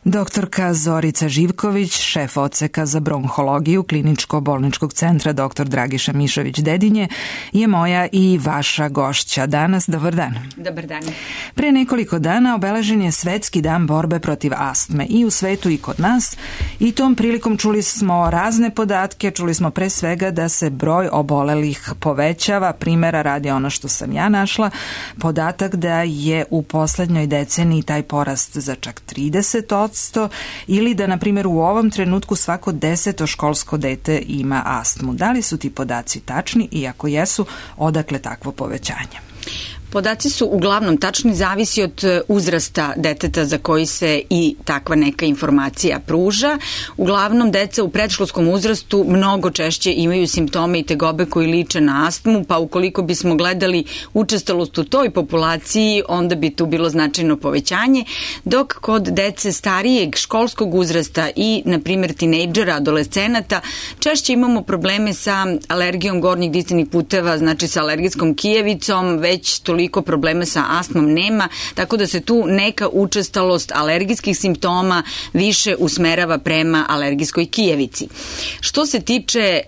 Doktorka Zorica Živković, šef odseka za bronhologiju Kliničko-bolničkog centra dr. Dragiša Mišović-Dedinje, je moja i vaša gošća danas. Dobar dan. Dobar dan. Pre nekoliko dana obeležen je Svetski dan borbe protiv astme i u svetu i kod nas, i tom prilikom čuli smo razne podatke. Čuli smo pre svega da se broj obolelih povećava. Primera radi ono što sam ja našla, podatak da je u poslednjoj deceniji taj porast za čak 30%, ili da, na primjer, u ovom trenutku svako 10. školsko dete ima astmu. Da li su ti podaci tačni i ako jesu, odakle takvo povećanje? Podaci su uglavnom tačni, zavisi od uzrasta deteta za koji se i takva neka informacija pruža. Uglavnom, deca u predškolskom uzrastu mnogo češće imaju simptome i tegobe koji liče na astmu, pa ukoliko bismo gledali učestalost u toj populaciji, onda bi tu bilo značajno povećanje, dok kod dece starijeg školskog uzrasta i, na primjer, tinejdžera, adolescenata, češće imamo probleme sa alergijom gornjih disajnih puteva, znači sa alergijskom kijevicom, već toliko problema sa astmom nema, tako da se tu neka učestalost alergijskih simptoma više usmerava prema alergijskoj kijevici. Što se tiče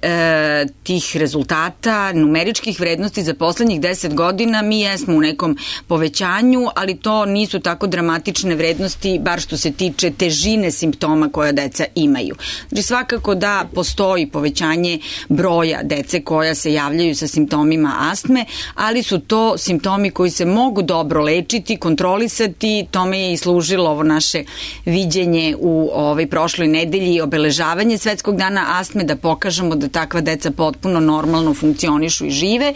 tih rezultata, numeričkih vrednosti za poslednjih 10 godina, mi jesmo u nekom povećanju, ali to nisu tako dramatične vrednosti, bar što se tiče težine simptoma koja deca imaju. Znači, svakako da postoji povećanje broja dece koja se javljaju sa simptomima astme, ali su to simptomi koji se mogu dobro lečiti, kontrolisati. Tome je i služilo ovo naše viđenje u prošloj nedelji, obeležavanje Svetskog dana astme, da pokažemo da takva deca potpuno normalno funkcionišu i žive.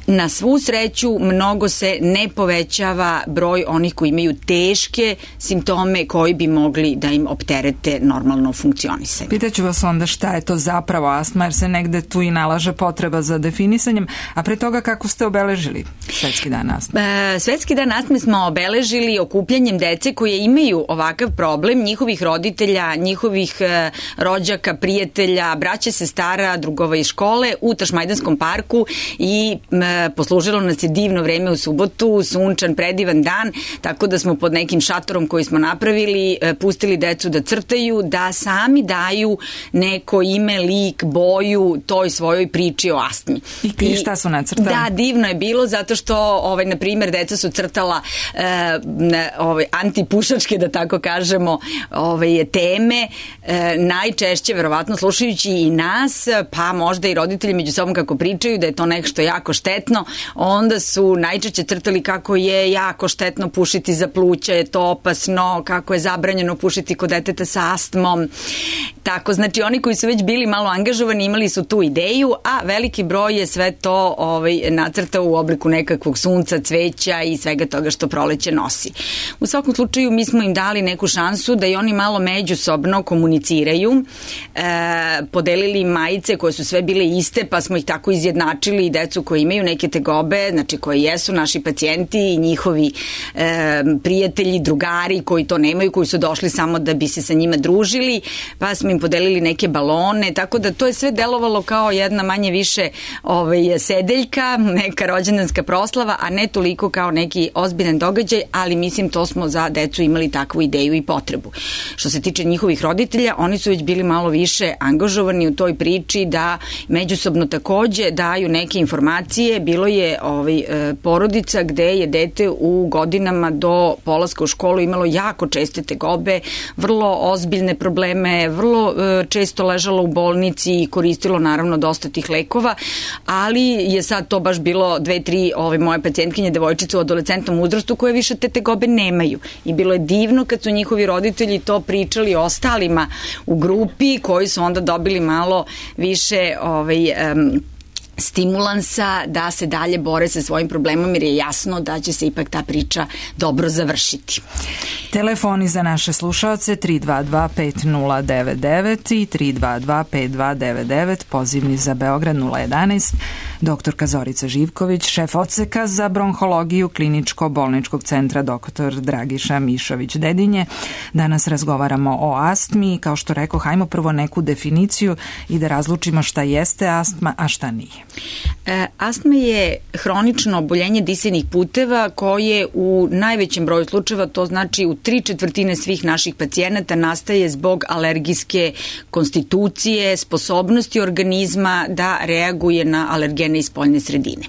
Na svu sreću, mnogo se ne povećava broj onih koji imaju teške simptome koji bi mogli da im opterete normalno funkcionisanje. Pitaću vas onda šta je to zapravo astma, jer se negde tu i nalaže potreba za definisanjem, a pre toga kako ste obeležili Svetski dan astme? Svetski dan astme smo obeležili okupljanjem dece koje imaju ovakav problem, njihovih roditelja, njihovih rođaka, prijatelja, braće, sestara, drugova iz škole u Tašmajdanskom parku, i poslužilo nas je divno vreme u subotu, sunčan, predivan dan, tako da smo pod nekim šatorom koji smo napravili pustili decu da crtaju, da sami daju neko ime, lik, boju toj svojoj priči o astmi. I šta su nacrtali? Da, divno je bilo, zato što na primjer, deca su crtala antipušačke, da tako kažemo, teme, najčešće, verovatno slušajući i nas, pa možda i roditelji među sobom kako pričaju da je to nešto jako štetno, onda su najčešće crtali kako je jako štetno pušiti za pluća, je to opasno, kako je zabranjeno pušiti kod deteta sa astmom. Tako, znači oni koji su već bili malo angažovani imali su tu ideju, a veliki broj je sve to nacrtao u obliku nekakvog sunca, cveća i svega toga što proleće nosi. U svakom slučaju mi smo im dali neku šansu da i oni malo međusobno komuniciraju, podelili im majice koje su sve bile iste, pa smo ih tako izjednačili, i decu koji imaju neke tegobe, znači koji jesu naši pacijenti i njihovi prijatelji, drugari koji to nemaju, koji su došli samo da bi se sa njima družili, pa smo im podelili neke balone, tako da to je sve delovalo kao jedna manje više sedeljka, neka rođendanska proslava, a ne toliko kao neki ozbiljan događaj, ali mislim to smo za decu imali takvu ideju i potrebu. Što se tiče njihovih roditelja, oni su već bili malo više angažovani u toj priči da međusobno takođe daju neke informacije. Bilo je porodica gde je dete u godinama do polaska u školu imalo jako česte tegobe, vrlo ozbiljne probleme, vrlo često ležalo u bolnici i koristilo naravno dosta tih lekova, ali je sad to baš bilo 2-3 moje pacijentkinje, devojčice u adolescentnom uzrastu koje više te tegobe nemaju. I bilo je divno kad su njihovi roditelji to pričali ostalima u grupi, koji su onda dobili malo više stimulansa da se dalje bore sa svojim problemom, jer je jasno da će se ipak ta priča dobro završiti. Telefoni za naše slušaoce 322-5099 i 322-5299, pozivni za Beograd 011 Doktorka Zorica Živković, šef odseka za bronhologiju Kliničko-bolničkog centra dr. Dragiša Mišović-Dedinje. Danas razgovaramo o astmi. Kao što rekao, hajmo prvo neku definiciju i da razlučimo šta jeste astma, a šta nije. Astma je hronično oboljenje disajnih puteva koje u najvećem broju slučajeva, to znači u 3/4 svih naših pacijenata, nastaje zbog alergijske konstitucije, sposobnosti organizma da reaguje na alergene iz spoljne sredine.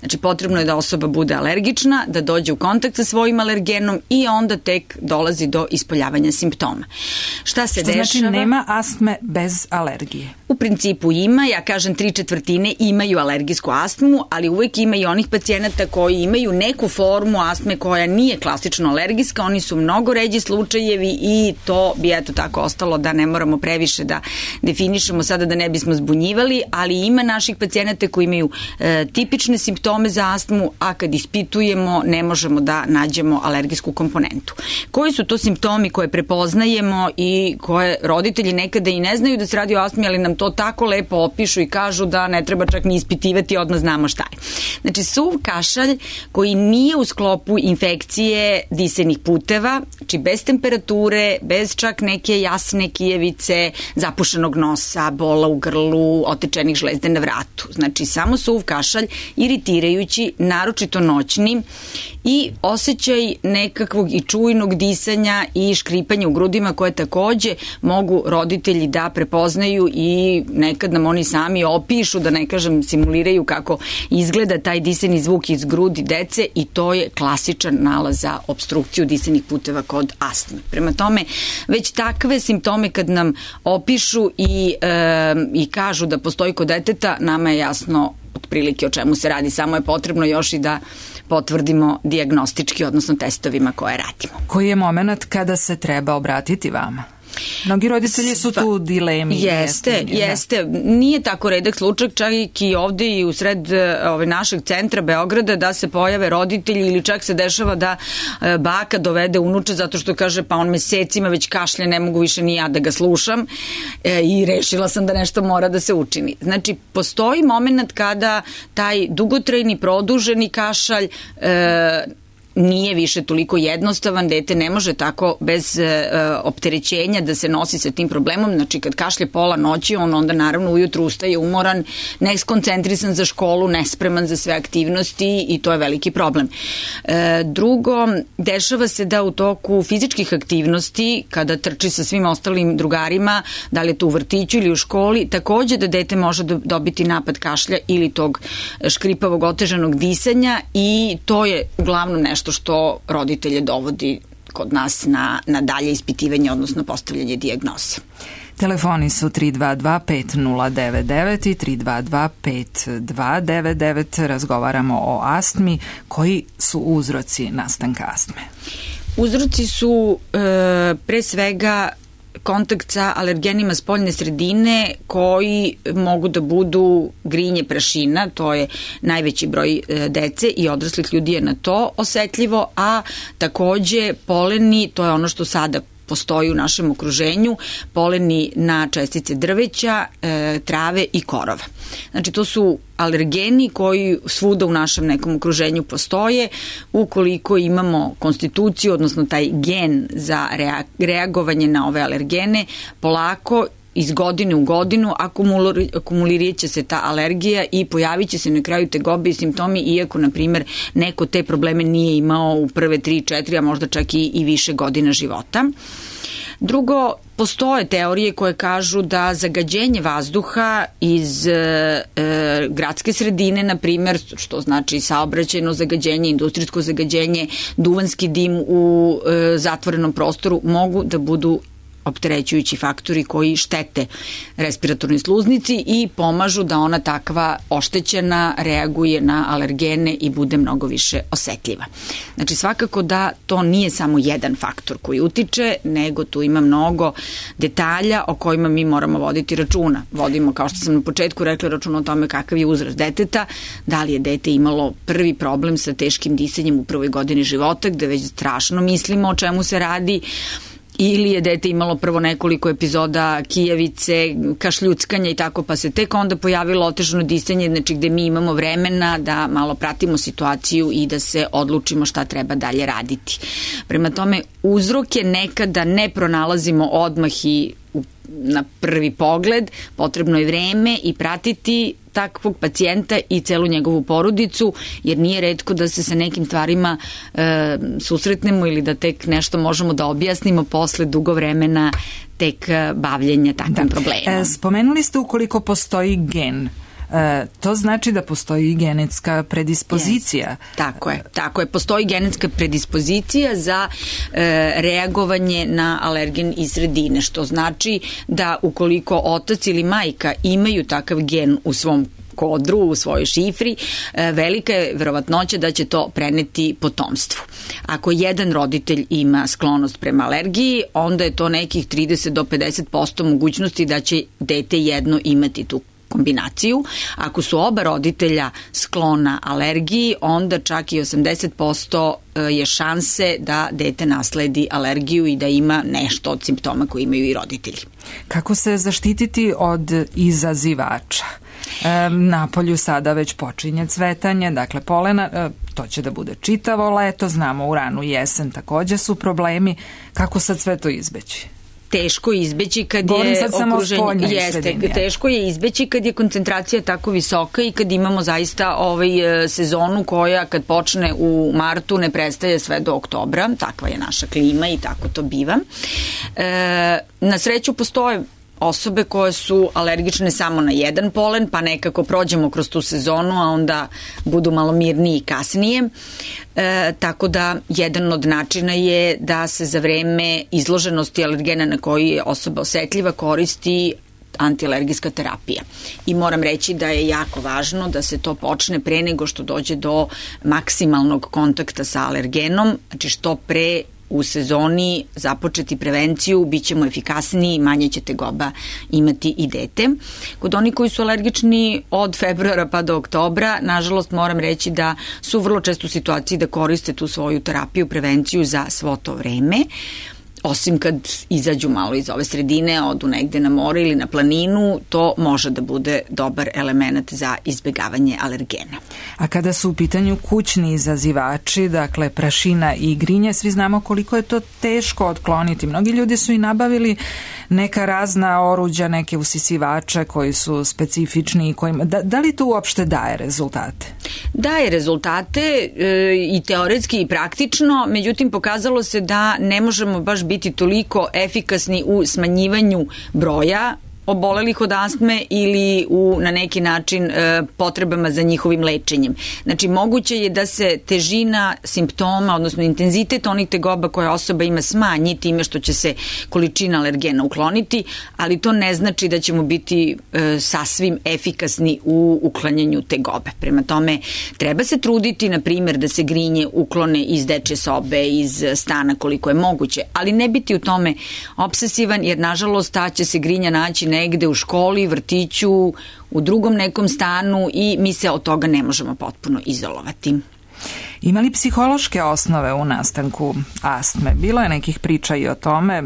Znači, potrebno je da osoba bude alergična, da dođe u kontakt sa svojim alergenom i onda tek dolazi do ispoljavanja simptoma. Šta se dešava? Znači, nema astme bez alergije? U principu ima, ja kažem 3/4 imaju alergijsku astmu, ali uvek ima i onih pacijenata koji imaju neku formu astme koja nije klasično alergijska, oni su mnogo ređi slučajevi i to bi eto tako ostalo da ne moramo previše da definišemo sada da ne bismo zbunjivali, ali ima naših pacijenata koji imaju tipične simptome za astmu, a kad ispitujemo ne možemo da nađemo alergijsku komponentu. Koji su to simptomi koje prepoznajemo i koje roditelji nekada i ne znaju da se radi o astmi, ali nam to tako lepo opišu i kažu da ne treba čak ni ispitivati, odmah znamo šta je. Znači, suv kašalj koji nije u sklopu infekcije disajnih puteva, znači bez temperature, bez čak neke jasne kijevice, zapušenog nosa, bola u grlu, otečenih žlezde na vratu. Znači, samo suv kašalj, iritirajući, naročito noćni, i osjećaj nekakvog i čujnog disanja i škripanja u grudima koje takođe mogu roditelji da prepoznaju i nekad nam oni sami opišu, da ne kažem simuliraju kako izgleda taj disajni zvuk iz grudi dece, i to je klasičan nalaz za opstrukciju disajnih puteva kod astme. Prema tome, već takve simptome kad nam opišu i kažu da postoji kod deteta, nama je jasno otprilike o čemu se radi, samo je potrebno još i da potvrdimo dijagnostički, odnosno testovima koje radimo. Koji je moment kada se treba obratiti vama? Mnogi roditelji su tu dilemi. Jeste. Nije tako redak slučaj, čak i ovde i u sred našeg centra Beograda, da se pojave roditelji ili čak se dešava da baka dovede unuče zato što kaže pa on mesecima već kašlje, ne mogu više ni ja da ga slušam i rešila sam da nešto mora da se učini. Znači, postoji moment kada taj dugotrajni, produženi kašalj nije više toliko jednostavan, dete ne može tako bez opterećenja da se nosi sa tim problemom. Znači, kad kašlje pola noći, on onda naravno ujutru ustaje umoran, neskoncentrisan za školu, nespreman za sve aktivnosti i to je veliki problem. Drugo, dešava se da u toku fizičkih aktivnosti, kada trči sa svim ostalim drugarima, da li je to u vrtiću ili u školi, takođe da dete može dobiti napad kašlja ili tog škripavog otežanog disanja, i to je uglavnom nešto što roditelje dovodi kod nas na dalje ispitivanje, odnosno postavljanje dijagnoze. Telefoni su 322-5099 i 322-5299. Razgovaramo o astmi. Koji su uzroci nastanka astme? Uzroci su pre svega kontakt sa alergenima spoljne sredine koji mogu da budu grinje prašina, to je najveći broj dece i odraslih ljudi je na to osetljivo, a takođe poleni, to je ono što sada postoji u našem okruženju, poleni na čestice drveća, trave i korova. Znači, to su alergeni koji svuda u našem nekom okruženju postoje. Ukoliko imamo konstituciju, odnosno taj gen za reagovanje na ove alergene, polako iz godine u godinu akumulirat će se ta alergija i pojavit će se na kraju tegobe i simptomi, iako, na primjer, neko te probleme nije imao u prve 3-4, a možda čak i više godina života. Drugo, postoje teorije koje kažu da zagađenje vazduha iz gradske sredine, na primjer, što znači saobraćajno zagađenje, industrijsko zagađenje, duvanski dim u zatvorenom prostoru, mogu da budu opterećujući faktori koji štete respiratornoj sluznici i pomažu da ona takva oštećena reaguje na alergene i bude mnogo više osetljiva. Znači, svakako da to nije samo jedan faktor koji utiče, nego tu ima mnogo detalja o kojima mi moramo voditi računa. Vodimo, kao što sam na početku rekla, računa o tome kakav je uzrast deteta, da li je dete imalo prvi problem sa teškim disanjem u prvoj godini života, gde već strašno mislimo o čemu se radi, ili je dete imalo prvo nekoliko epizoda kijavice, kašljuckanja i tako, pa se tek onda pojavilo otežano disanje, znači gde mi imamo vremena da malo pratimo situaciju i da se odlučimo šta treba dalje raditi. Prema tome, uzroke nekada ne pronalazimo odmah i na prvi pogled, potrebno je vreme i pratiti takvog pacijenta i celu njegovu porodicu, jer nije retko da se sa nekim stvarima susretnemo ili da tek nešto možemo da objasnimo posle dugo vremena tek bavljenja takvim problemom. Spomenuli ste ukoliko postoji gen. To znači da postoji genetska predispozicija. Yes. Tako je. Postoji genetska predispozicija za reagovanje na alergen iz sredine, što znači da ukoliko otac ili majka imaju takav gen u svom kodru, u svojoj šifri, velika je verovatnoća da će to preneti potomstvu. Ako jedan roditelj ima sklonost prema alergiji, onda je to nekih 30 do 50% mogućnosti da će dete jedno imati tu kombinaciju. Ako su oba roditelja sklona alergiji, onda čak i 80% je šanse da dete nasledi alergiju i da ima nešto od simptoma koje imaju i roditelji. Kako se zaštititi od izazivača? Napolju sada već počinje cvetanje, dakle polena, to će da bude čitavo leto, znamo u ranu jesen takođe su problemi. Kako sad sve to izbeći? Teško je izbeći kad je okruženje, teško je izbeći kad je koncentracija tako visoka i kad imamo zaista sezonu koja kad počne u martu ne prestaje sve do oktobra, takva je naša klima i tako to biva. Na sreću postoje osobe koje su alergične samo na jedan polen, pa nekako prođemo kroz tu sezonu, a onda budu malo mirniji kasnije. Tako da jedan od načina je da se za vreme izloženosti alergena na koji je osoba osetljiva koristi antialergijska terapija. I moram reći da je jako važno da se to počne pre nego što dođe do maksimalnog kontakta sa alergenom, znači što pre u sezoni započeti prevenciju, bit ćemo efikasniji, manje će tegoba imati i dete. Kod onih koji su alergični od februara pa do oktobra, nažalost moram reći da su vrlo često u situaciji da koriste tu svoju terapiju, prevenciju za svo to vreme. Osim kad izađu malo iz ove sredine, odu negde na more ili na planinu, to može da bude dobar element za izbegavanje alergena. A kada su u pitanju kućni izazivači, dakle prašina i grinje, svi znamo koliko je to teško otkloniti. Mnogi ljudi su i nabavili neka razna oruđa, neke usisivače koji su specifični i kojima... Da li to uopšte daje rezultate? Daje rezultate i teoretski i praktično, međutim pokazalo se da ne možemo baš biti toliko efikasni u smanjivanju broja obolelih od astme ili na neki način potrebama za njihovim lečenjem. Znači, moguće je da se težina simptoma, odnosno intenzitet onih tegoba koje osoba ima smanji time što će se količina alergena ukloniti, ali to ne znači da ćemo biti sasvim efikasni u uklanjanju tegobe. Prema tome, treba se truditi, na primjer, da se grinje uklone iz dečje sobe, iz stana koliko je moguće, ali ne biti u tome obsesivan, jer nažalost ta će se grinja naći negde u školi, vrtiću, u drugom nekom stanu i mi se od toga ne možemo potpuno izolovati. Ima li psihološke osnove u nastanku astme? Bilo je nekih priča i o tome.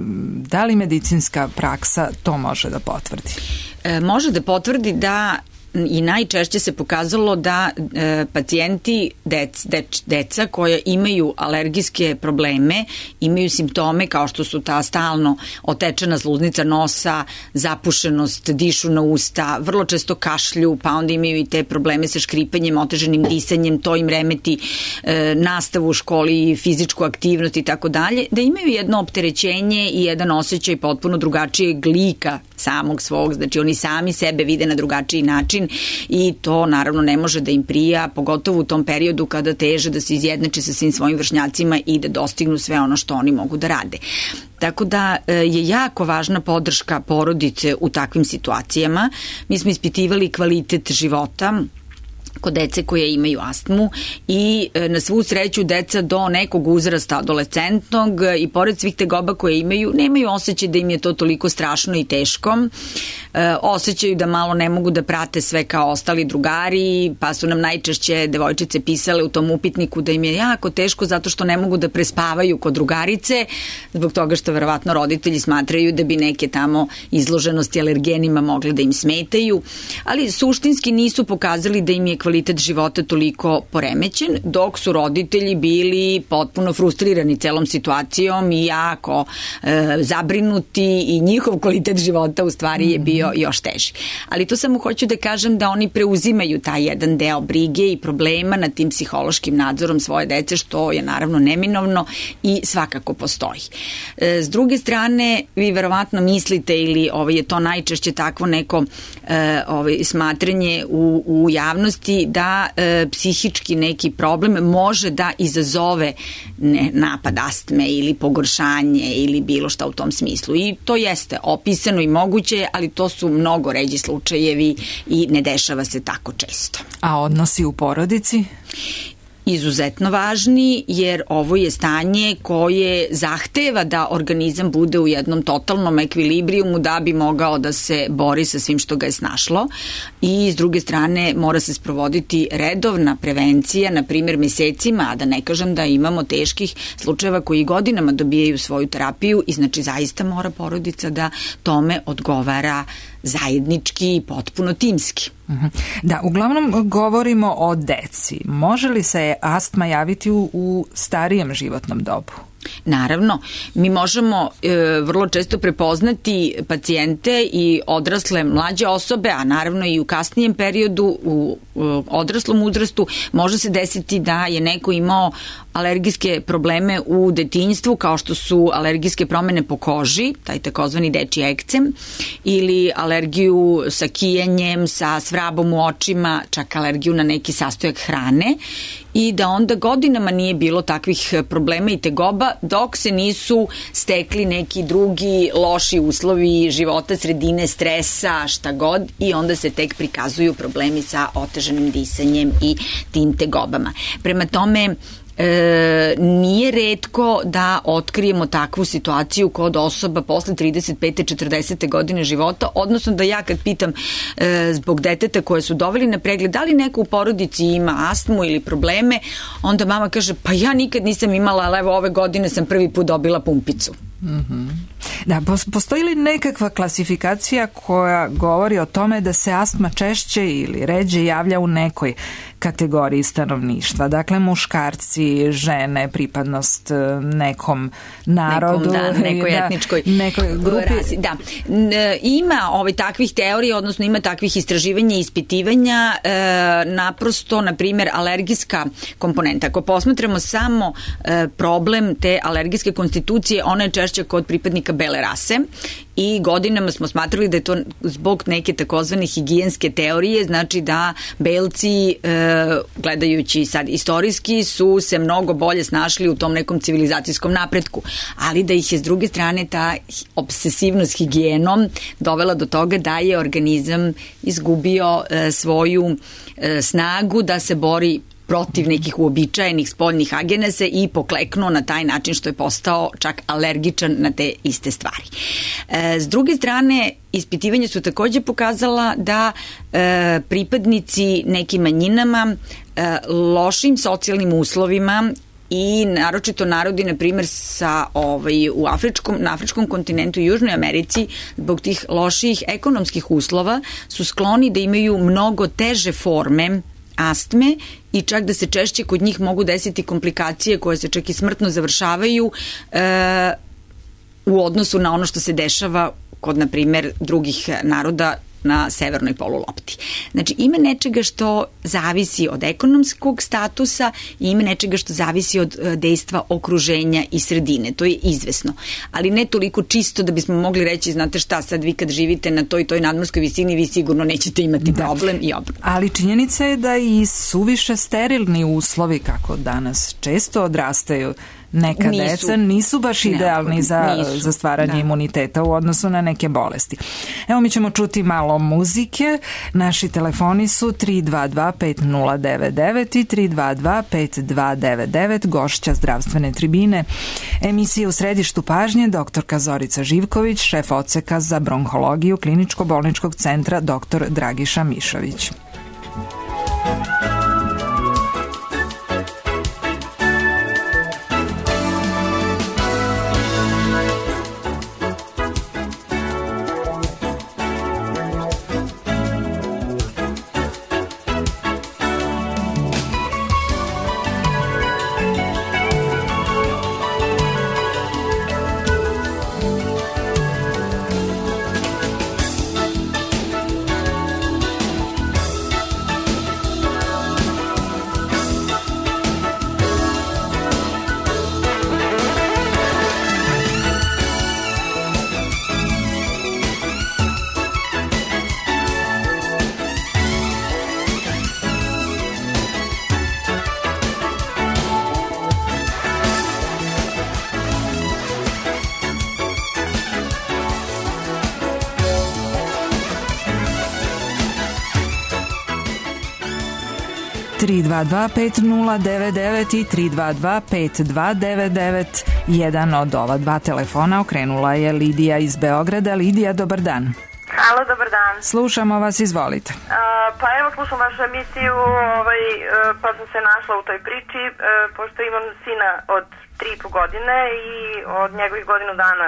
Da li medicinska praksa to može da potvrdi? Može da potvrdi da i najčešće se pokazalo da pacijenti, deca koja imaju alergijske probleme, imaju simptome kao što su ta stalno otečena sluznica nosa, zapušenost, dišu na usta, vrlo često kašlju, pa onda imaju i te probleme sa škripanjem, oteženim disanjem, to im remeti nastavu u školi, fizičku aktivnost i tako dalje, da imaju jedno opterećenje i jedan osjećaj potpuno drugačijeg lika samog svog, znači oni sami sebe vide na drugačiji način i to naravno ne može da im prija, pogotovo u tom periodu kada teže da se izjednače sa svim svojim vršnjacima i da dostignu sve ono što oni mogu da rade. Tako da je jako važna podrška porodice u takvim situacijama. Mi smo ispitivali kvalitet života kod dece koje imaju astmu i na svu sreću deca do nekog uzrasta adolescentnog i pored svih tegoba koje imaju, nemaju osjećaj da im je to toliko strašno i teško. Osjećaju da malo ne mogu da prate sve kao ostali drugari, pa su nam najčešće devojčice pisale u tom upitniku da im je jako teško zato što ne mogu da prespavaju kod drugarice, zbog toga što verovatno roditelji smatraju da bi neke tamo izloženosti alergenima mogle da im smetaju, ali suštinski nisu pokazali da im je kvalitet života toliko poremećen, dok su roditelji bili potpuno frustrirani celom situacijom i jako zabrinuti i njihov kvalitet života u stvari je bio još teži. Ali to samo hoću da kažem da oni preuzimaju taj jedan deo brige i problema nad tim psihološkim nadzorom svoje dece, što je naravno neminovno i svakako postoji. S druge strane, vi verovatno mislite ili je to najčešće takvo neko smatranje u javnosti da psihički neki problem može da izazove napad astme ili pogoršanje ili bilo šta u tom smislu. I to jeste opisano i moguće, ali to su mnogo ređi slučajevi i ne dešava se tako često. A odnosi u porodici? Izuzetno važni, jer ovo je stanje koje zahteva da organizam bude u jednom totalnom ekvilibrijumu da bi mogao da se bori sa svim što ga je snašlo i s druge strane mora se sprovoditi redovna prevencija, na primjer mesecima, a da ne kažem da imamo teških slučajeva koji godinama dobijaju svoju terapiju i znači zaista mora porodica da tome odgovara zajednički i potpuno timski. Da, uglavnom govorimo o deci. Može li se astma javiti u starijem životnom dobu? Naravno, mi možemo vrlo često prepoznati pacijente i odrasle mlađe osobe, a naravno i u kasnijem periodu, u odraslom uzrastu, može se desiti da je neko imao alergijske probleme u detinjstvu, kao što su alergijske promene po koži, taj takozvani dečji ekcem, ili alergiju sa kijanjem, sa svrabom u očima, čak alergiju na neki sastojak hrane, i da onda godinama nije bilo takvih problema i tegoba dok se nisu stekli neki drugi loši uslovi života, sredine, stresa, šta god, i onda se tek prikazuju problemi sa otežanim disanjem i tim tegobama. Prema tome, nije retko da otkrijemo takvu situaciju kod osoba posle 35. 40. godine života, odnosno da ja kad pitam zbog deteta koje su doveli na pregled da li neko u porodici ima astmu ili probleme, onda mama kaže pa ja nikad nisam imala, ali evo ove godine sam prvi put dobila pumpicu. Da, postoji li nekakva klasifikacija koja govori o tome da se astma češće ili ređe javlja u nekoj kategoriji stanovništva? Dakle, muškarci, žene, pripadnost nekom narodu, nekoj etničkoj grupi. Rasi. Da. Ima takvih teorija, odnosno ima takvih istraživanja i ispitivanja, naprosto, na primjer, alergijska komponenta. Ako posmatramo samo problem te alergijske konstitucije, ona je češće kod pripadnika bele rase i godinama smo smatrali da je to zbog neke takozvane higijenske teorije, znači da belci, gledajući sad istorijski, su se mnogo bolje snašli u tom nekom civilizacijskom napretku, ali da ih je s druge strane ta obsesivnost higijenom dovela do toga da je organizam izgubio svoju snagu da se bori protiv nekih uobičajenih spoljnih agenesa i pokleknuo na taj način što je postao čak alergičan na te iste stvari. S druge strane, ispitivanja su takođe pokazala da pripadnici nekim manjinama, lošim socijalnim uslovima i naročito narodi, na primjer, na afričkom kontinentu i Južnoj Americi, zbog tih loših ekonomskih uslova su skloni da imaju mnogo teže forme astme i čak da se češće kod njih mogu desiti komplikacije koje se čak i smrtno završavaju u odnosu na ono što se dešava kod, na primjer, drugih naroda na severnoj polulopti. Znači, ima nečega što zavisi od ekonomskog statusa i ima nečega što zavisi od dejstva okruženja i sredine. To je izvesno. Ali ne toliko čisto da bismo mogli reći, znate šta, sad vi kad živite na toj nadmorskoj visini, vi sigurno nećete imati problem i obrnuto. Ali činjenica je da i suviše sterilni uslovi, kako danas često odrastaju neka deca nisu baš idealni za stvaranje imuniteta u odnosu na neke bolesti. Evo, mi ćemo čuti malo muzike. Naši telefoni su 322-5099 i 322-5299. Gošća zdravstvene tribine emisije U središtu pažnje doktorka Zorica Živković, šef odseka za bronhologiju Kliničko-bolničkog centra dr. Dragiša Mišović. Tri 225-099 i 322-5299. Jedan od ova dva telefona okrenula je Lidija iz Beograda. Lidija, dobar dan. Halo, dobar dan. Slušamo vas, izvolite. Pa evo, slušam vašu emisiju, pa sam se našla u toj priči, pošto imam sina od 3,5 godine i od njegovih godinu dana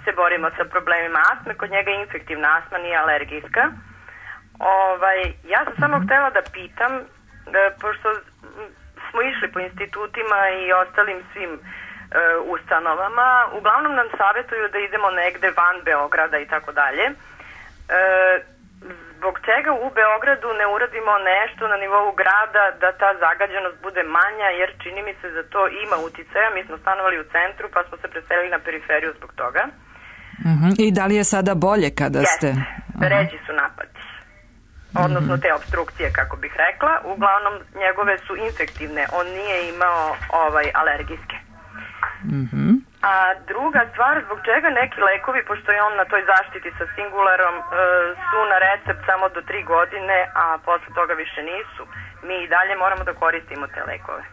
se borimo sa problemima astme. Kod njega je infektivna astma, nije alergijska. Ja sam samo htela da pitam, pošto smo išli po institutima i ostalim svim ustanovama, uglavnom nam savjetuju da idemo negde van Beograda i tako dalje. Zbog čega u Beogradu ne uradimo nešto na nivou grada da ta zagađenost bude manja, jer čini mi se da to ima uticaja. Mi smo stanovali u centru pa smo se preselili na periferiju zbog toga. I da li je sada bolje kada ste... Ređi su napadi. Odnosno te obstrukcije, kako bih rekla. Uglavnom njegove su infektivne. On nije imao alergijske. A druga stvar, zbog čega neki lekovi, pošto je on na toj zaštiti sa Singularom, su na recept samo do 3 godine, a posle toga više nisu. Mi i dalje moramo da koristimo te lekove.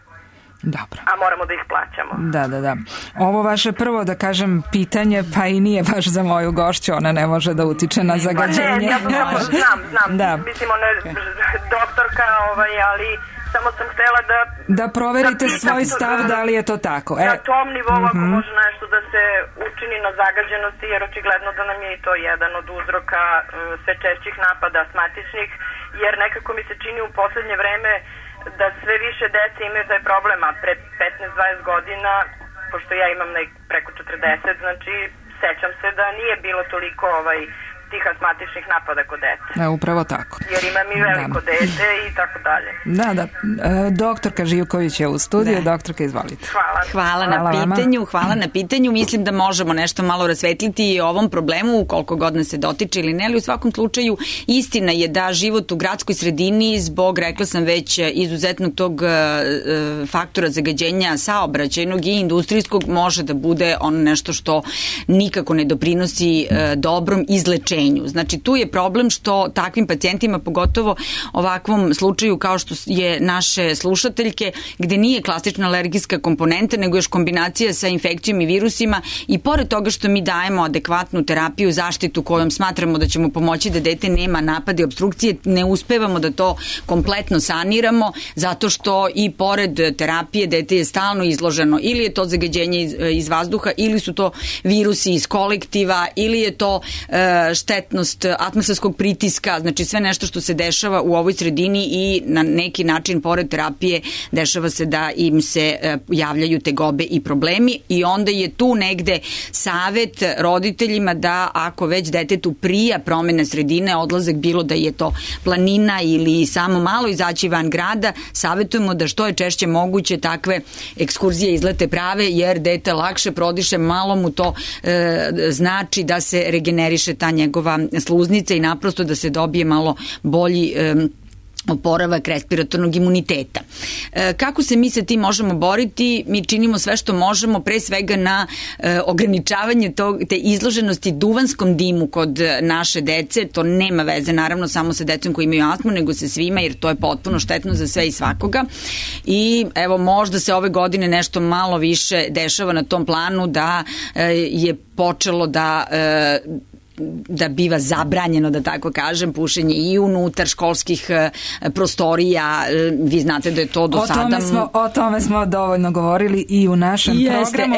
Dobro. A moramo da ih plaćamo. Da. Ovo vaše prvo, da kažem, pitanje, pa i nije baš za moju gošću, ona ne može da utiče na zagađenje. Pa ne, ja znam. Da. Mislim, ona je doktorka, ali samo sam htela da proverite svoj stav da li je to tako. Na tom nivou ako može nešto da se učini na zagađenosti, jer očigledno da nam je i to jedan od uzroka sve češćih napada astmatičnih, jer nekako mi se čini u poslednje vreme da sve više dece imaju taj problem, a pre 15-20 godina, pošto ja imam preko 40, znači sećam se da nije bilo toliko tih astmatičnih napada kod dece. Upravo tako. Jer imam i veliko dete i tako dalje. Da. Doktorka Živković je u studiju. Doktorka, izvolite. Hvala na pitanju. Mislim da možemo nešto malo rasvetliti i o ovom problemu, koliko god nas se dotiče ili ne, ali u svakom slučaju istina je da život u gradskoj sredini zbog, rekla sam već, izuzetnog tog faktora zagađenja saobraćajnog i industrijskog može da bude ono nešto što nikako ne doprinosi dobrom izlečenju. Znači, tu je problem što takvim pacijentima, pogotovo ovakvom slučaju kao što je naše slušateljke, gde nije klasična alergijska komponenta, nego još kombinacija sa infekcijom i virusima, i pored toga što mi dajemo adekvatnu terapiju, zaštitu kojom smatramo da ćemo pomoći da dete nema napade i obstrukcije, ne uspevamo da to kompletno saniramo, zato što i pored terapije dete je stalno izloženo, ili je to zagađenje iz vazduha, ili su to virusi iz kolektiva, ili je to štetnost atmosferskog pritiska, znači sve nešto što se dešava u ovoj sredini i na neki način pored terapije dešava se da im se javljaju tegobe i problemi, i onda je tu negde savet roditeljima da ako već detetu prija promene sredine, odlazak, bilo da je to planina ili samo malo izaći van grada, savetujemo da što je češće moguće takve ekskurzije, izlete prave, jer dete lakše prodiše, malo mu to znači da se regeneriše ta njegova sluznica i naprosto da se dobije malo bolji oporavak respiratornog imuniteta. Kako se mi sa tim možemo boriti? Mi činimo sve što možemo, pre svega na ograničavanje te izloženosti duvanskom dimu kod naše dece. To nema veze naravno samo sa decom koji imaju astmu, nego sa svima, jer to je potpuno štetno za sve i svakoga. I evo, možda se ove godine nešto malo više dešava na tom planu, da je počelo da biva zabranjeno, da tako kažem, pušenje i unutar školskih prostorija. Vi znate da je to do sada... O tome smo dovoljno govorili i u našem programu.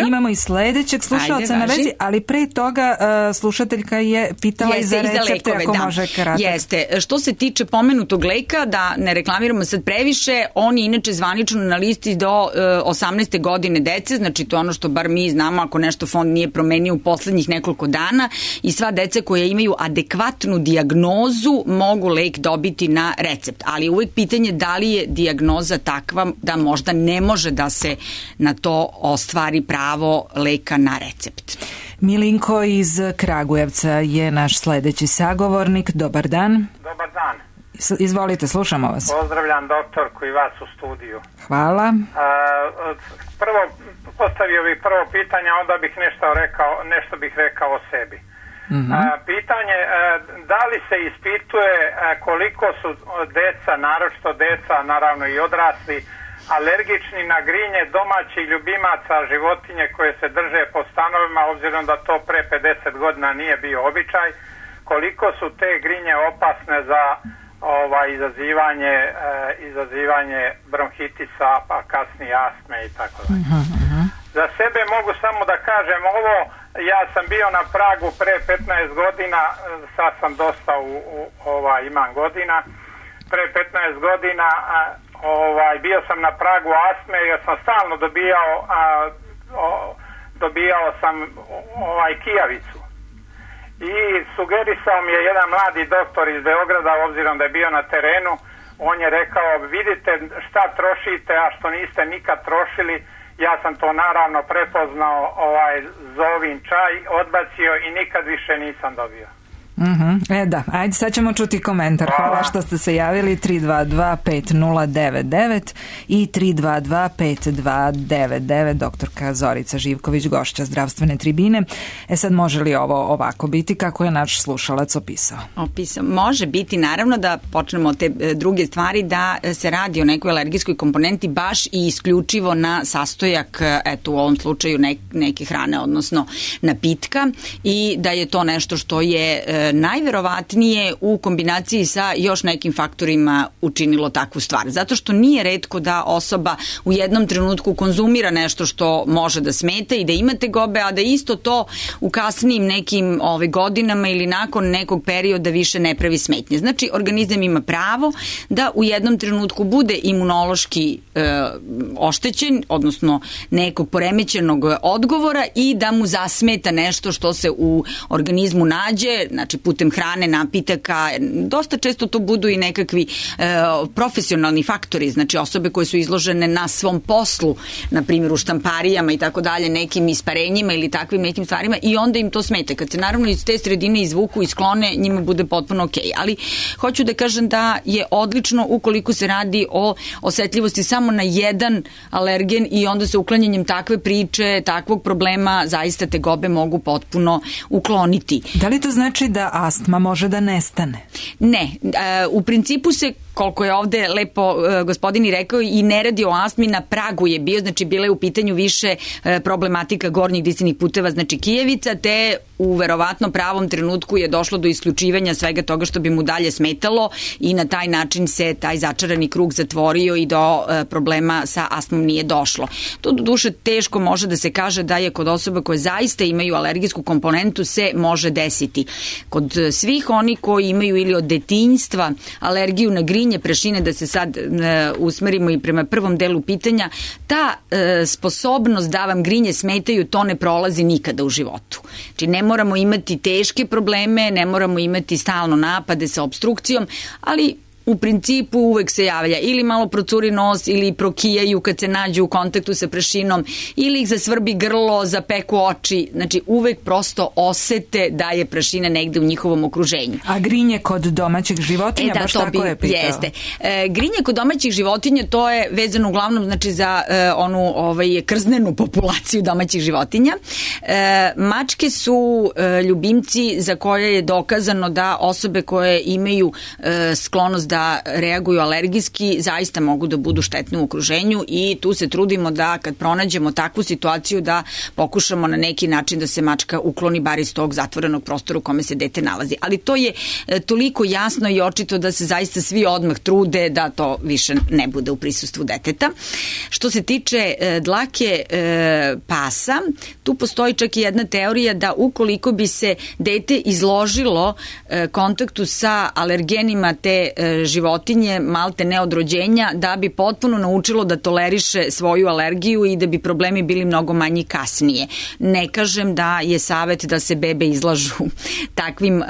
Imamo i sledećeg slušalca na vezi, ali pre toga slušateljka je pitala i za recepte, ako može kratko. Jeste. Što se tiče pomenutog leka, da ne reklamiramo sad previše, on je inače zvanično na listi do 18. godine dece, znači to je ono što bar mi znamo, ako nešto fond nije promenio u poslednjih nekoliko dana, i sva deca koja imaju adekvatnu dijagnozu mogu lek dobiti na recept. Ali uvek pitanje da li je dijagnoza takva da možda ne može da se na to ostvari pravo leka na recept. Milinko iz Kragujevca je naš sledeći sagovornik. Dobar dan. Dobar dan. Izvolite, slušamo vas. Pozdravljam doktorku i vas u studiju. Hvala. Prvo, postavio bih prvo pitanje, onda bih nešto bih rekao o sebi. Pitanje, da li se ispituje koliko su deca, naročito deca, naravno i odrasli, alergični na grinje domaćih ljubimaca, životinje koje se drže po stanovima, obzirom da to pre 50 godina nije bio običaj, koliko su te grinje opasne za izazivanje bronhitisa, pa kasnije astme i tako dalje. Za sebe mogu samo da kažem ovo, ja sam bio na pragu pre 15 godina, sad sam dosta imam godina, pre 15 godina bio sam na pragu astme jer sam stalno dobijao sam kijavicu. I sugerisao mi je jedan mladi doktor iz Beograda, obzirom da je bio na terenu, on je rekao, vidite šta trošite, a što niste nikad trošili. Ja sam to naravno prepoznao, zovin čaj, odbacio i nikad više nisam dobio. Da, ajde, sad ćemo čuti komentar. Hvala što ste se javili. 322-5099 i 322-5299. Doktorka Zorica Živković, gošća zdravstvene tribine. Sad može li ovo ovako biti kako je naš slušalac opisao? Može biti, naravno, da počnemo od te druge stvari, da se radi o nekoj alergijskoj komponenti baš i isključivo na sastojak, u ovom slučaju neke hrane, odnosno napitka, i da je to nešto što je najverovatnije u kombinaciji sa još nekim faktorima učinilo takvu stvar. Zato što nije retko da osoba u jednom trenutku konzumira nešto što može da smeta i da ima tegobe, a da isto to u kasnijim nekim godinama ili nakon nekog perioda više ne pravi smetnje. Znači, organizam ima pravo da u jednom trenutku bude imunološki oštećen, odnosno nekog poremećenog odgovora, i da mu zasmeta nešto što se u organizmu nađe, znači putem hrane, napitaka. Dosta često to budu i nekakvi profesionalni faktori, znači osobe koje su izložene na svom poslu, na primjer u štamparijama i tako dalje, nekim isparenjima ili takvim nekim stvarima, i onda im to smete. Kad se naravno iz te sredine izvuku i sklone, njima bude potpuno okej. Ali hoću da kažem da je odlično ukoliko se radi o osetljivosti samo na jedan alergen i onda sa uklanjanjem takve priče, takvog problema, zaista tegobe mogu potpuno ukloniti. Da li to znači da astma može da nestane? Ne. U principu se, koliko je ovde lepo gospodin i rekao, i ne radi o astmi, na pragu je bio, znači bila je u pitanju više problematika gornjih disajnih puteva, znači kijevica, te u verovatno pravom trenutku je došlo do isključivanja svega toga što bi mu dalje smetalo i na taj način se taj začarani krug zatvorio i do problema sa astmom nije došlo. To do duše teško može da se kaže da je kod osoba koje zaista imaju alergijsku komponentu se može desiti. Kod svih oni koji imaju ili od detinjstva alergiju na grinje, prašine, da se sad usmerimo i prema prvom delu pitanja, ta sposobnost da vam grinje smetaju, to ne prolazi nikada u životu. Znači ne moramo imati teške probleme, ne moramo imati stalno napade sa opstrukcijom, ali u principu uvek se javlja ili malo procuri nos ili prokijaju kad se nađu u kontaktu sa prašinom ili ih zasvrbi grlo, zapeku oči, znači uvek prosto osete da je prašina negde u njihovom okruženju. A grinje kod domaćih životinja, baš tako je pitao. Jeste. Grinje kod domaćih životinja, to je vezano uglavnom znači za onu krznenu populaciju domaćih životinja. Mačke su ljubimci za koje je dokazano da osobe koje imaju sklonost da reaguju alergijski zaista mogu da budu štetne u okruženju i tu se trudimo da kad pronađemo takvu situaciju da pokušamo na neki način da se mačka ukloni bar iz tog zatvorenog prostora u kome se dete nalazi. Ali to je toliko jasno i očito da se zaista svi odmah trude da to više ne bude u prisustvu deteta. Što se tiče dlake pasa, tu postoji čak i jedna teorija da ukoliko bi se dete izložilo kontaktu sa alergenima te životinje, malte ne od rođenja, da bi potpuno naučilo da toleriše svoju alergiju i da bi problemi bili mnogo manji kasnije. Ne kažem da je savet da se bebe izlažu takvim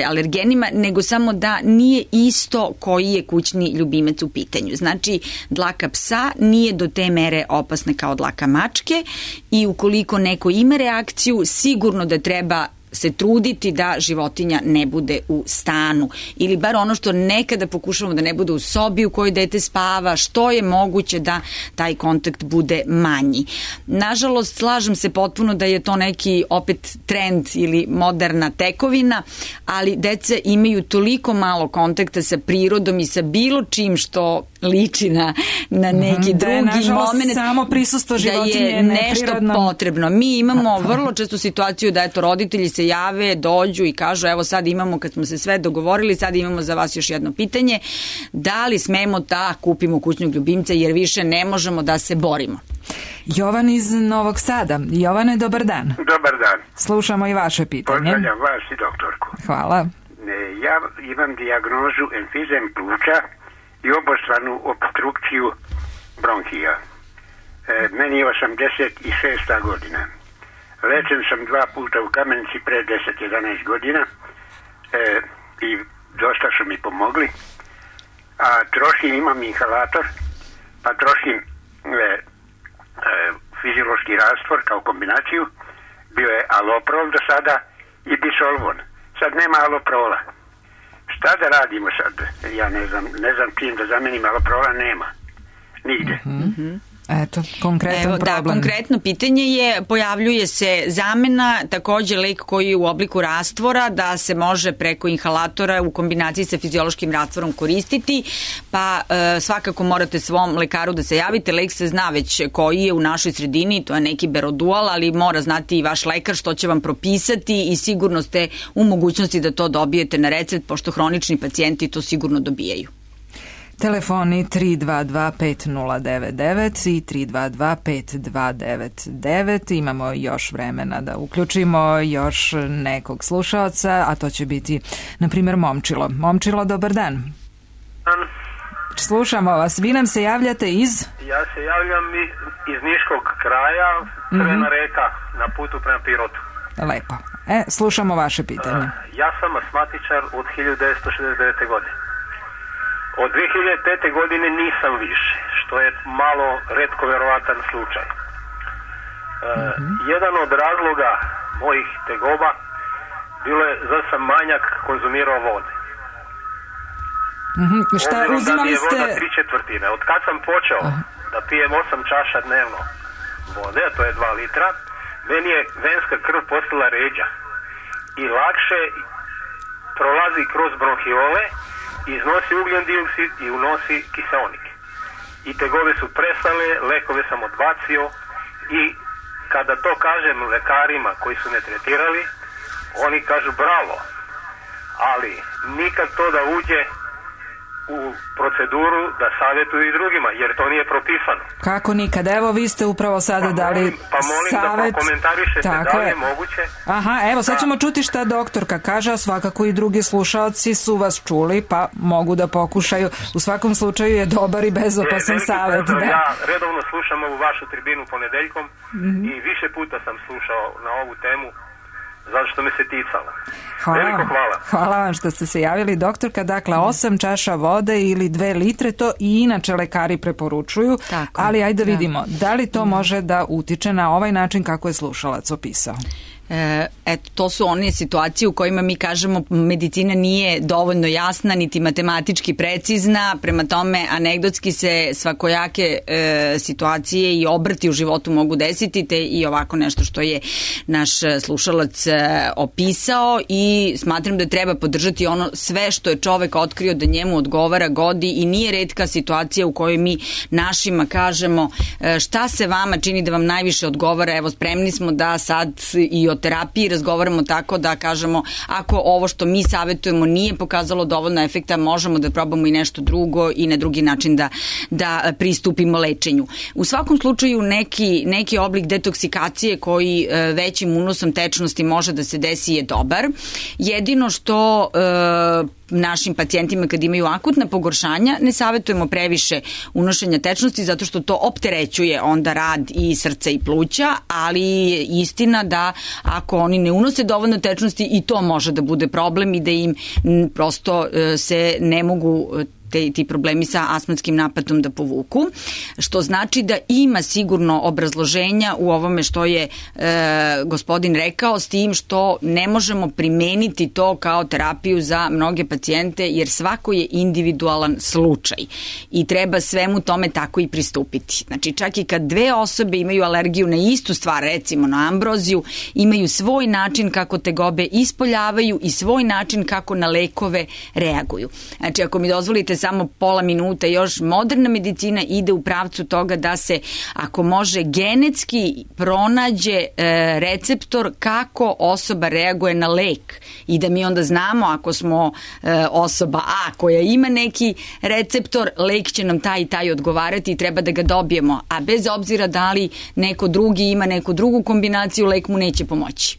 alergenima, nego samo da nije isto koji je kućni ljubimac u pitanju. Znači, dlaka psa nije do te mere opasna kao dlaka mačke i ukoliko neko ima reakciju, sigurno da treba se truditi da životinja ne bude u stanu ili bar ono što nekada pokušavamo da ne bude u sobi u kojoj dete spava, što je moguće da taj kontakt bude manji. Nažalost, slažem se potpuno da je to neki opet trend ili moderna tekovina, ali deca imaju toliko malo kontakta sa prirodom i sa bilo čim što liči na neki drugi moment, samo prisustvo životinje da je nešto potrebno. Mi imamo vrlo često situaciju da roditelji se jave, dođu i kažu evo sad imamo, kad smo se sve dogovorili, sad imamo za vas još jedno pitanje, da li smemo da kupimo kućnog ljubimca jer više ne možemo da se borimo. Jovan iz Novog Sada. Jovane, dobar dan. Dobar dan. Slušamo i vaše pitanje. Pozdravljam vas i doktorku. Hvala. Ja imam dijagnozu emfizem pluća i obostranu obstrukciju bronhija. Meni je 86. godina. Lečen sam 2 puta u Kamenici pre 10-11 godina i dosta su mi pomogli. A imam inhalator, pa trošim fiziološki rastvor kao kombinaciju. Bio je aloprol do sada i bisolvon. Sad nema aloprola. Šta da radimo sad? Ja ne znam čim da zamenim aloprola, nema. Nigde. Eto, konkretan problem. Da, konkretno pitanje je, pojavljuje se zamena, takođe lek koji je u obliku rastvora, da se može preko inhalatora u kombinaciji sa fiziološkim rastvorom koristiti, pa svakako morate svom lekaru da se javite. Lek se zna već koji je u našoj sredini, to je neki Berodual, ali mora znati i vaš lekar što će vam propisati i sigurno ste u mogućnosti da to dobijete na recept, pošto hronični pacijenti to sigurno dobijaju. Telefoni 322-5099 i 322-5299. Imamo još vremena da uključimo još nekog slušaoca, a to će biti, na primjer, Momčilo. Momčilo, dobar dan. Slušamo vas. Vi nam se javljate iz? Ja se javljam iz Niškog kraja, Crvena reka, na putu prema Pirotu. Lepo. Slušamo vaše pitanje. Ja sam asmatičar od 1969. godine. Od 2005. godine nisam više, što je malo retko verovatan slučaj. Jedan od razloga mojih tegoba bilo je da sam manjak konzumirao vode. Šta, uzimali ste... Voda 3/4. Od kad sam počeo da pijem 8 čaša dnevno vode, a to je 2 litra, meni je venska krv postala ređa i lakše prolazi kroz bronhiole, iznosi ugljen dioksid i unosi kiseonik. I tegobe su prestale, lekove sam odbacio i kada to kažem lekarima koji su me tretirali, oni kažu bravo, ali nikad to da uđe u proceduru da savjetuju i drugima, jer to nije propisano. Kako nikad? Evo, vi ste upravo sada dali savjet. Da komentarišete da li je moguće. Aha, evo, sad ćemo čuti šta doktorka kaže, a svakako i drugi slušalci su vas čuli, pa mogu da pokušaju. U svakom slučaju je dobar i bezopasan savjet. Ja redovno slušam ovu vašu tribinu ponedeljkom i više puta sam slušao na ovu temu zato što me se ticalo. Veliko hvala. Hvala vam što ste se javili, doktorka. Dakle, 8 čaša vode ili 2 litre, to i inače lekari preporučuju, ali ajde vidimo, da li to može da utiče na ovaj način kako je slušalac opisao? Eto, to su one situacije u kojima mi kažemo medicina nije dovoljno jasna niti matematički precizna, prema tome anegdotski se svakojake situacije i obrti u životu mogu desiti, te i ovako nešto što je naš slušalac opisao, i smatram da treba podržati ono sve što je čovek otkrio da njemu odgovara godi, i nije retka situacija u kojoj mi našima kažemo šta se vama čini da vam najviše odgovara, evo spremni smo da sad i o terapiji razgovaramo tako da kažemo ako ovo što mi savjetujemo nije pokazalo dovoljno efekta, možemo da probamo i nešto drugo i na drugi način da pristupimo lečenju. U svakom slučaju neki oblik detoksikacije koji većim unosom tečnosti može da se desi je dobar. Jedino što našim pacijentima kad imaju akutna pogoršanja ne savjetujemo previše unošenja tečnosti zato što to opterećuje onda rad i srca i pluća, ali je istina da ako oni ne unose dovoljno tečnosti i to može da bude problem i da im prosto se ne mogu ti problemi sa astmatskim napadom da povuku, što znači da ima sigurno obrazloženja u ovome što je gospodin rekao, s tim što ne možemo primeniti to kao terapiju za mnoge pacijente, jer svako je individualan slučaj i treba svemu tome tako i pristupiti. Znači, čak i kad dve osobe imaju alergiju na istu stvar, recimo na ambroziju, imaju svoj način kako tegobe ispoljavaju i svoj način kako na lekove reaguju. Znači, ako mi dozvolite samo pola minuta još, moderna medicina ide u pravcu toga da se, ako može, genetski pronađe receptor kako osoba reaguje na lek i da mi onda znamo ako smo osoba A koja ima neki receptor, lek će nam taj i taj odgovarati i treba da ga dobijemo, a bez obzira da li neko drugi ima neku drugu kombinaciju, lek mu neće pomoći.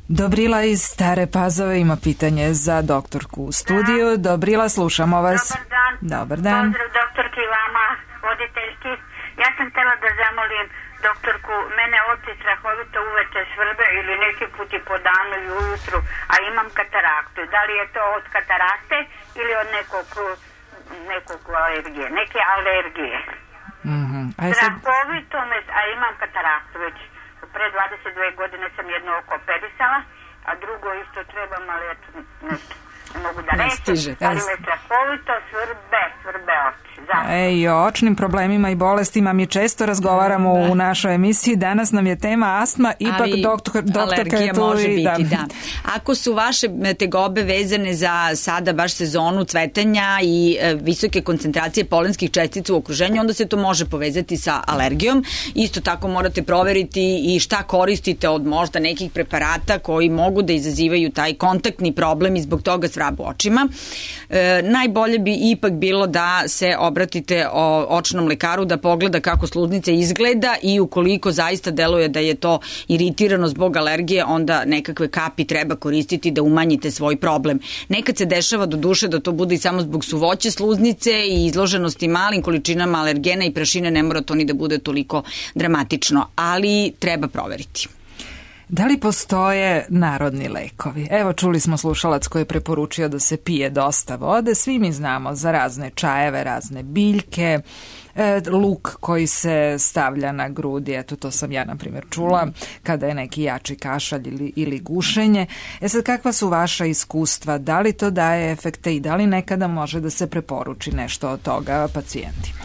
Dobrila iz Stare Pazove ima pitanje za doktorku u studiju. Dobrila, slušamo vas. Dobar dan. Dobar dan. Pozdrav doktorki i vama, voditeljki. Ja sam htjela da zamolim doktorku, mene oči strahovito uveče svrbe ili neki put i po danu i ujutru, a imam kataraktu. Da li je to od katarakte ili od nekog alergije, neke alergije? Strahovito me, a imam kataraktu već. Pre 22 godine sam jedno oko operisala, a drugo isto trebam, ali eto, ne mogu da reći, ali me strahovito svrbe oči. I o očnim problemima i bolestima mi često razgovaramo u našoj emisiji. Danas nam je tema astma, ipak doktorka je tu. Može biti, da. Ako su vaše tegobe vezane za sada baš sezonu cvetanja i visoke koncentracije polenskih čestica u okruženju, onda se to može povezati sa alergijom. Isto tako morate proveriti i šta koristite od možda nekih preparata koji mogu da izazivaju taj kontaktni problem i zbog toga svrab očima. Najbolje bi ipak bilo da se obratite očnom lekaru da pogleda kako sluznica izgleda i ukoliko zaista deluje da je to iritirano zbog alergije, onda nekakve kapi treba koristiti da umanjite svoj problem. Nekad se dešava do duše da to bude i samo zbog suvoće sluznice i izloženosti malim količinama alergena i prašine, ne mora to ni da bude toliko dramatično, ali treba proveriti. Da li postoje narodni lekovi? Evo, čuli smo slušalac koji je preporučio da se pije dosta vode. Svi mi znamo za razne čajeve, razne biljke, luk koji se stavlja na grudi. Eto, to sam ja, na primjer, čula kada je neki jači kašalj ili gušenje. Sad, kakva su vaša iskustva? Da li to daje efekte i da li nekada može da se preporuči nešto od toga pacijentima?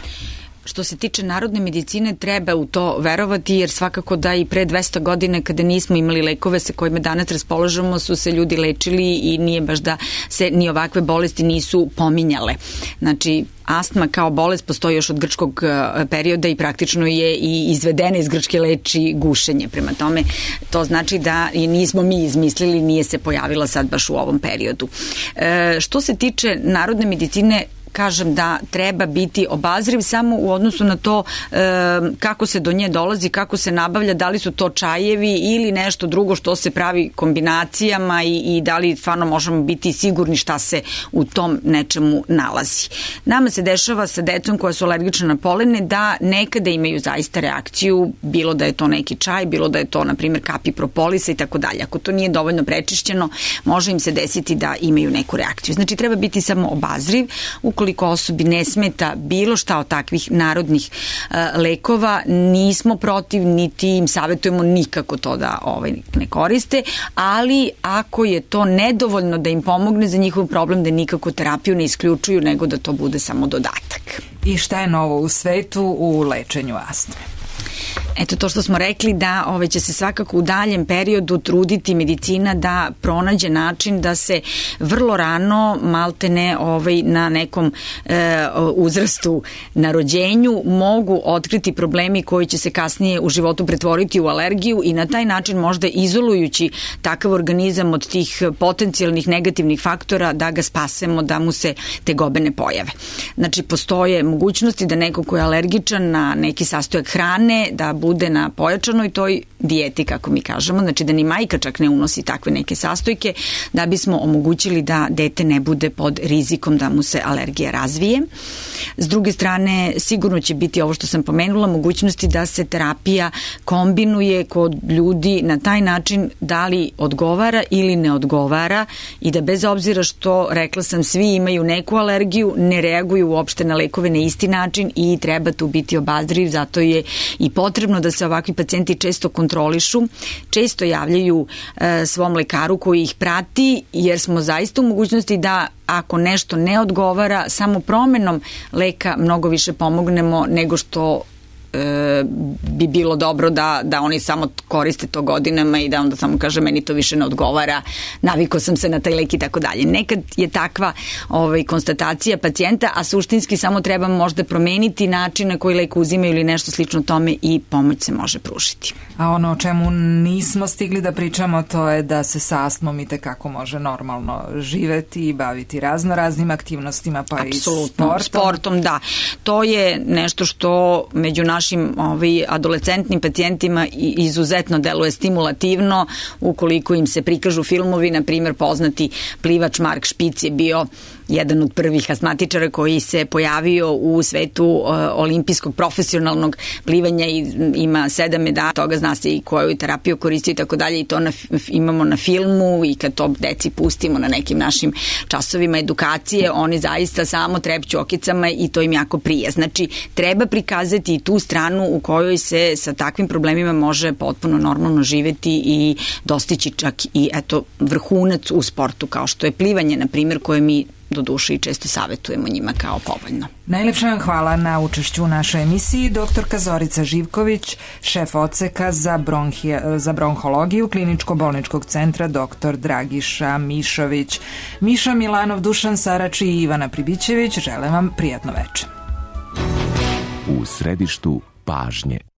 Što se tiče narodne medicine, treba u to verovati, jer svakako da i pre 200 godina kada nismo imali lekove sa kojima danas raspolažemo su se ljudi lečili i nije baš da se ni ovakve bolesti nisu pominjale. Znači, astma kao bolest postoji još od grčkog perioda i praktično je i izvedena iz Grčke leči gušenje. Prema tome, to znači da i nismo mi izmislili, nije se pojavila sad baš u ovom periodu. Što se tiče narodne medicine, kažem da treba biti obazriv samo u odnosu na to kako se do nje dolazi, kako se nabavlja, da li su to čajevi ili nešto drugo što se pravi kombinacijama i da li stvarno možemo biti sigurni šta se u tom nečemu nalazi. Nama se dešava sa decom koja su alergična na polene da nekada imaju zaista reakciju, bilo da je to neki čaj, bilo da je to, na primjer, kapi propolisa i tako dalje. Ako to nije dovoljno prečišćeno, može im se desiti da imaju neku reakciju. Znači, treba biti samo obazriv. Ukoliko osobi ne smeta bilo šta od takvih narodnih lekova, nismo protiv, niti im savjetujemo nikako to da ne koriste, ali ako je to nedovoljno da im pomogne za njihov problem, da nikako terapiju ne isključuju, nego da to bude samo dodatak. I šta je novo u svetu u lečenju astme? Eto, to što smo rekli da će se svakako u daljem periodu truditi medicina da pronađe način da se vrlo rano, maltene na nekom uzrastu na rođenju, mogu otkriti problemi koji će se kasnije u životu pretvoriti u alergiju i na taj način možda izolujući takav organizam od tih potencijalnih negativnih faktora da ga spasemo, da mu se tegobe ne pojave. Znači, postoje mogućnosti da neko ko je alergičan na neki sastojak hrane, da bude na pojačanoj toj dijeti, kako mi kažemo, znači da ni majka čak ne unosi takve neke sastojke, da bismo omogućili da dete ne bude pod rizikom da mu se alergija razvije. S druge strane, sigurno će biti ovo što sam pomenula, mogućnosti da se terapija kombinuje kod ljudi na taj način da li odgovara ili ne odgovara i da bez obzira što, rekla sam, svi imaju neku alergiju, ne reaguju uopšte na lekove na isti način i treba tu biti obazriv, zato je i potrebno da se ovakvi pacijenti često kontrolišu, često javljaju svom lekaru koji ih prati, jer smo zaista u mogućnosti da ako nešto ne odgovara, samo promenom leka mnogo više pomognemo nego što bi bilo dobro da oni samo koriste to godinama i da onda samo kaže meni to više ne odgovara, navikao sam se na taj lek i tako dalje. Nekad je takva konstatacija pacijenta, a suštinski samo treba možda promeniti način na koji lek uzimaju ili nešto slično tome i pomoć se može pružiti. A ono o čemu nismo stigli da pričamo, to je da se sa astmom i tekako može normalno živeti i baviti raznoraznim aktivnostima, pa apsolutno, i sportom. Da. To je nešto što među našim adolescentnim pacijentima izuzetno deluje stimulativno. Ukoliko im se prikažu filmovi, na primjer poznati plivač Mark Špic je bio jedan od prvih astmatičara koji se pojavio u svetu olimpijskog profesionalnog plivanja i ima 7 medalja, toga zna se i koju terapiju koristio i tako dalje i to imamo na filmu i kad to deci pustimo na nekim našim časovima edukacije, oni zaista samo trepću okicama i to im jako prije. Znači, treba prikazati i tu stranu u kojoj se sa takvim problemima može potpuno normalno živeti i dostići čak i vrhunac u sportu kao što je plivanje, na primjer, koje mi do duše i često savjetujemo njima kao povoljno. Najlepša vam hvala na učešću u našoj emisiji. Doktorka Zorica Živković, šef odseka za bronhologiju Kliničko-bolničkog centra dr. Dragiša Mišović. Miša Milanov, Dušan Sarač i Ivana Pribićević žele vam prijatno večer. U središtu pažnje.